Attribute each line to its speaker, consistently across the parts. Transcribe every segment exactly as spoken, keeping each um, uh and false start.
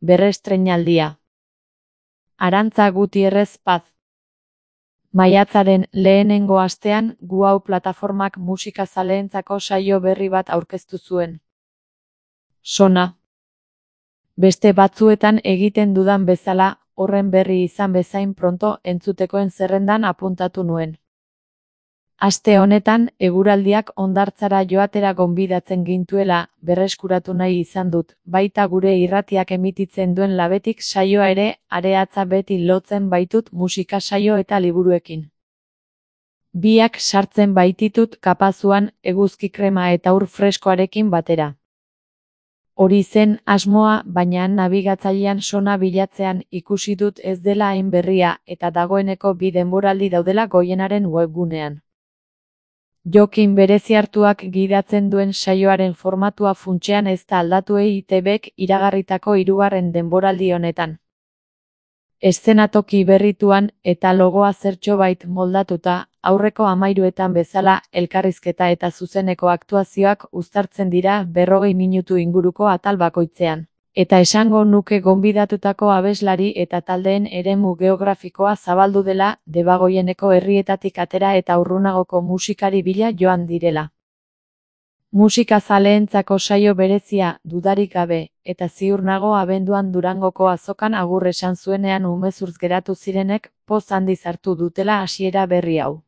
Speaker 1: berrestreinaldia. Arantza Gutierrez Paz. Maiatzaren lehenengo astean Guau plataformak musikazaleentzako saio berri bat aurkeztu zuen. Sona. Beste batzuetan egiten dudan bezala, horren berri izan bezain pronto entzutekoen zerrendan apuntatu nuen. Aste honetan, eguraldiak hondartzara joatera gonbidatzen gintuela, berreskuratu nahi izan dut, baita gure irratiak emititzen duen Labetik saioa ere, areatza beti lotzen baitut musika saio eta liburuekin. Biak sartzen baititut kapazuan, eguzki krema eta ur freskoarekin batera. Hori zen asmoa, baina nabigatzailean Sona bilatzean ikusi dut ez dela hain berria eta dagoeneko bi denboraldi daudela Goienaren webgunean. Jokin berezi hartuak gidatzen duen saioaren formatua funtsean ez da aldatu E I Te Bek iragarritako hirugarren denboraldi honetan. Eszenatoki berrituan eta logoa zertxobait moldatuta, aurreko hamairuetan bezala, elkarrizketa eta zuzeneko aktuazioak uztartzen dira berrogei minutu inguruko atal bakoitzean. Eta esango nuke gonbidatutako abeslari eta taldeen eremu geografikoa zabaldu dela, Debagoieneko herrietatik atera eta urrunagoko musikari bila joan direla. Musikazaleentzako saio berezia, dudarik gabe, eta ziur nago abenduan Durangoko azokan agur esan zuenean umezurtz geratu zirenek, poz handiz hartu dutela hasiera berri hau.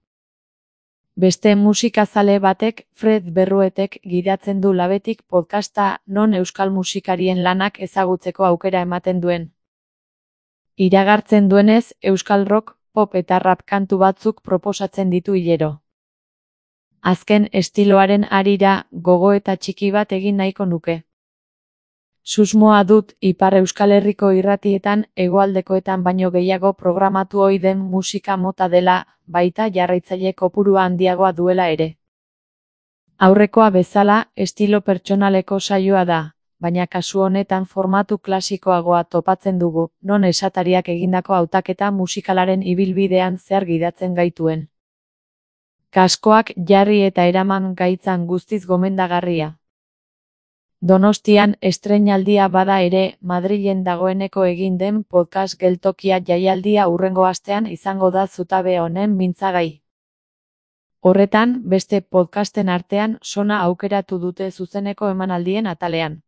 Speaker 1: Beste musikazale batek, Fred Berruetek gidatzen du Labetik podcasta non euskal musikarien lanak ezagutzeko aukera ematen duen. Iragartzen duenez, euskal rock, pop eta rap kantu batzuk proposatzen ditu hilero. Azken estiloaren harira, gogoeta txiki bat egin nahiko nuke. Susmoa dut, Ipar Euskal Herriko irratietan, hegoaldekoetan baino gehiago programatu ohi den musika mota dela, baita jarraitzaile kopurua handiagoa duela ere. Aurrekoa bezala, estilo pertsonaleko saioa da, baina kasu honetan formatu klasikoagoa topatzen dugu, non esatariak egindako hautaketa musikalaren ibilbidean zehar gidatzen gaituen. Kaskoak jarri eta eraman gaitzan guztiz gomendagarria. Donostian estreinaldia bada ere, Madrilen dagoeneko egin den podcast geltokia jaialdia hurrengo astean izango da zutabe honen mintzagai. Horretan, beste podcasten artean Sona aukeratu dute zuzeneko emanaldien atalean.